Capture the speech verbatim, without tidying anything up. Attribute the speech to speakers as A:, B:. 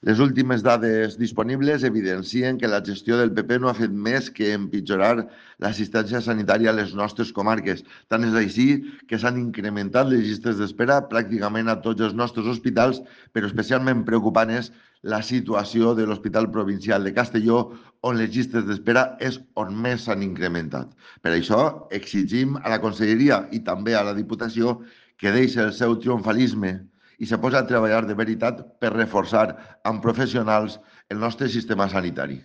A: Les últimes dades disponibles evidencien que la gestió del P P no ha fet més que empitjorar l'assistència sanitària a les nostres comarques. Tant és així que s'han incrementat les llistes d'espera pràcticament a tots els nostres hospitals, però especialment preocupant és la situació de l'Hospital Provincial de Castelló, on les llistes d'espera és on més s'han incrementat. Per això exigim a la Conselleria i també a la Diputació que deixi el seu triomfalisme i se posa a treballar de veritat per reforçar amb professionals el nostre sistema sanitari.